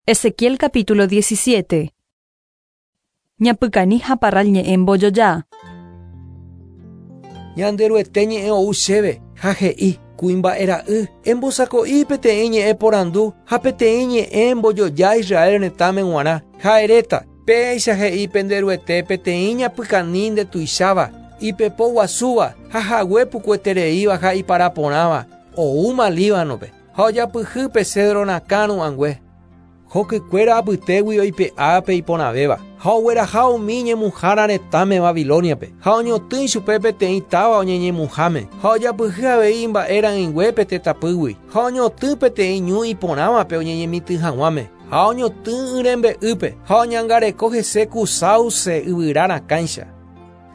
Ezequiel capítulo 17. Ñapykani ha parral ñe'ẽ mbojoja. Ñanderuete ñe'ẽ ou chéve, ha he'i, Kuimba'e ra'y, embosako'i peteĩ ñe'ẽ porandu ha peteĩ ñe'ẽ mbojoja Israel retãme g̃uarã, ha eréta, Péicha he'i pende Ruete peteĩ ñapykani ndetuicháva, ipepo guasúva ha hague pukuetereíva ha ipara porãva, oúma Líbanope, ha ojapyhy pe cedro rakã ru'ãngue. Hokykuéra apytégui oipe'a pe iporãvéva, ha ogueraha umi ñemuhára retãme Babilóniape, ha oñotỹ chupe peteĩ táva oñeñemuháme, ha ojapyhy avei imba'e ra'ỹingue pe tetãpýgui, ha oñotỹ peteĩ ñu iporãvape oñeñemitỹ hag̃uáme, ha oñotỹ y rembe'ýpe, ha oñangareko hese ku sáuse yvyra rakãicha.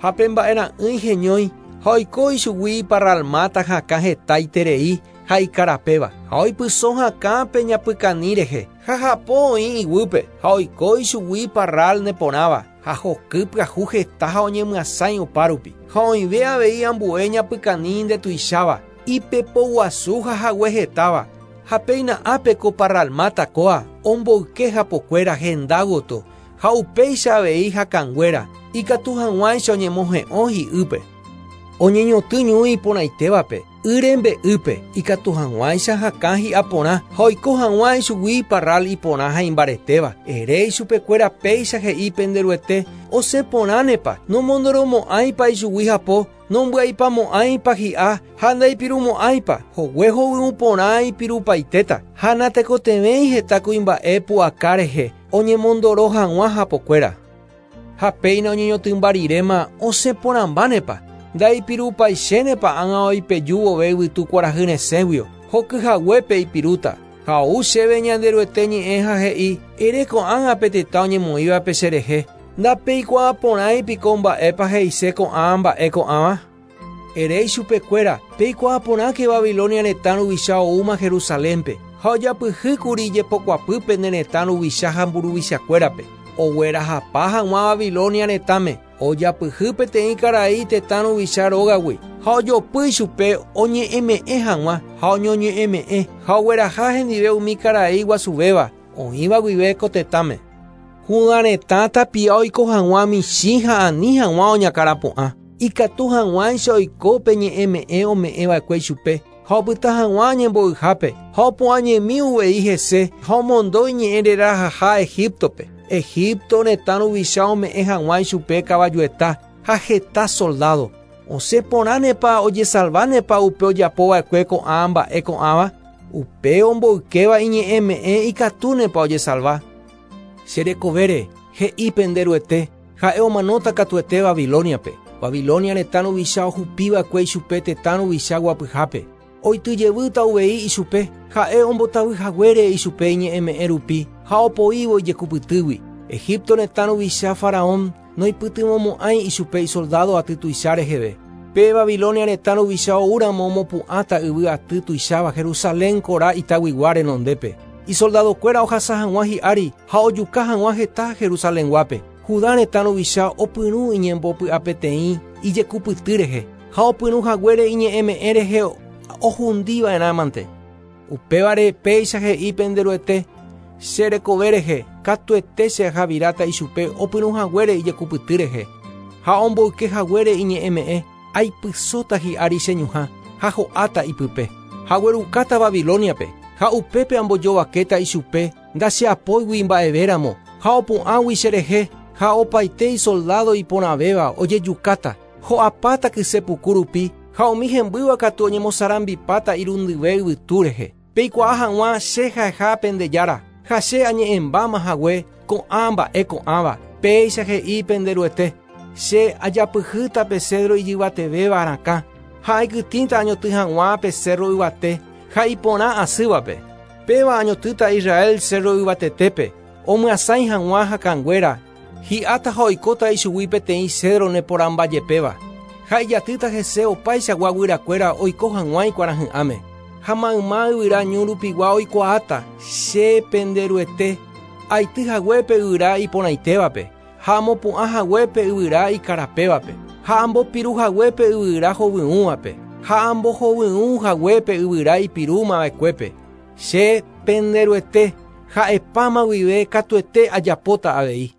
Ha pe mba'e ra'ỹi heñói, ha oiko ichugui parral máta hakã heta iterei ha ikarapéva, ha oipyso hakã pe ñapykani rehe, ha hapo oĩ iguýpe, ha oiko ichugui parral neporãva, ha hoky pyahu heta ha oñemyasãi opárupi. Ha oĩve avei ambue ñapykani ndetuicháva, ipepoguasu ha hague hetáva, ha péina ápe ko parral máta kóa omboyke hapokuéra henda gotyo, ha upéicha avei hakãnguéra, ikatu hag̃uáicha oñemohe'õ hi'ýpe. Oñeñotỹ ñu iporãitévape, y rembe'ýpe, ikatu hag̃uáicha hakã hi'a porã ha oiko hag̃ua ichugui parral iporã ha imbaretéva. Ere ichupekuéra péicha he'i pende Ruete, Osẽ porãnepa, nomondoromo'ãipa ichugui hapo, Nombyaipamo'ãipa hi'a ha ndaipirumo'ãipa, hogue hovyũ porã ipirupaitéta, ha natekotevẽi heta kuimba'e pu'aka rehe oñemondoro hag̃ua hapokuéra. Ha péina oñeñotỹmba riréma osẽ porãmbánepa, ndaipirupaichénepa ág̃a oipeju vove yvytu kuarahy resẽguio, hoky haguépe ipirúta. Ha ou chéve Ñanderuete ñe'ẽ ha he'i, Ere ko'ág̃a pe tetã oñemoĩvape cherehe, Ndapeikuaa porãi piko mba'épa he'ise ko'ã mba'e ko'ãva? Ere ichupekuéra, Peikuaa porãke Babilonia retã ruvicha oúma Jerusalénpe, ha ojapyhýkuri ijepokuapy pene retã ruvicha ha mburuvichakuérape, oguerahapa hag̃ua Babilonia retãme, ojapyhy peteĩ karai tetã ruvicha rógagui, ha ojopy ichupe oñe'ẽme'ẽ hag̃ua, ha oñoñe'ẽme'ẽ, ha ogueraha hendive umi karai guasuvéva, oĩva guive ko tetãme. Judá retã tapia oiko hag̃ua michĩ ha ani hag̃ua oñakãrapu'ã, ikatu hag̃uáicha oiko pe ñe'ẽme'ẽ ome'ẽva'ekue ichupe, ha opyta hag̃ua ñembo'yhápe, ha opu'ãñemi uvei hese ha omondo iñe'ẽ rerahaha Egíptope, Egipto retã ruvicha ome'ẽ hag̃ua ichupe kavajueta ha heta soldádo. Osẽ porãnepa ojesalvánepa upe ojapova'ekue ko'ã mba'e ko'ãva? Upe omboykéva iñe'ẽme'ẽ ikatúnepa ojesalva? Che rekovére, he'i pende Ruete, ha'e omanóta katuete Babilóniape. Babilónia retã ruvicha ohupi va'ekue ichupe tetã ruvicha guapyhápe. Oity jevýta uvei ichupe, ha'e ombotavy haguére ichupe iñe'ẽme'ẽ rupi ha opoívo ijekupytýgui. Egipto retã ruvicha faraón noipytyvõmo'ãi ichupe isoldádo aty tuicha reheve. Pe Babilonia retã ruvicha oúramo omopu'ãta yvy aty tuicháva Jerusalén kora itaguigua renondépe, isoldadokuéra ohasa hag̃ua hi'ári ha ojuka hag̃ua heta Jerusalenguápe. Judá retã ruvicha opyrũ iñembopy'apeteĩ ijekupyty rehe, ha opyrũ haguére iñe'ẽme'ẽ rehe ohundi va'erãmante. Upévare péicha he'i pende Ruete, Che rekove rehe, katuete che ahaviráta ichupe opyrũ haguére ijekupyty rehe, ha omboyke haguére iñe'ẽme'ẽ, aipysóta hi'ári che ñuhã, ha ho'áta ipype. Ha aguerukáta Babilóniape, ha upépe ambojovakéta ichupe ndacheapóigui mba'evéramo, ha opu'ãgui cherehe, ha opaite isoldádo iporãvéva ojejukáta. Ho'apáta kyse puku rupi, ha umi hembýva katu oñemosarambipáta irundyve yvytu rehe. Peikuaa hag̃ua che ha'eha pende Jára, ha che añe'ẽmbáma hague ko'ã mba'e ko'ãva, péicha he'i pende Ruete, Che ajapyhýta pe cédro ijyvatevéva rakã, ha aikytĩta añotỹ hag̃ua pe cérro yvate ha iporã asývape. Péva añotỹta Israel cérro yvatetépe, omyasãi hag̃ua hakãnguéra, Hi'áta ha oikóta ichugui peteĩ cédro neporãmba jepéva, ha ijatýta hese opaichagua guyrakuéra oiko hag̃ua ikuarahy'ãme. Ha mayma yvyra ñu rupigua oikuaáta, Che, pende Ruete, aity hague pe yvyra iporãitévape, ha amopu'ã hague pe yvyra ikarapévape, ha ambopiru hague pe yvyra hovyũvape, ha ambohovyũ hague pe yvyra ipirúma va'ekuépe. Che, pende Ruete, Ha'epáma guive katuete ajapóta avei.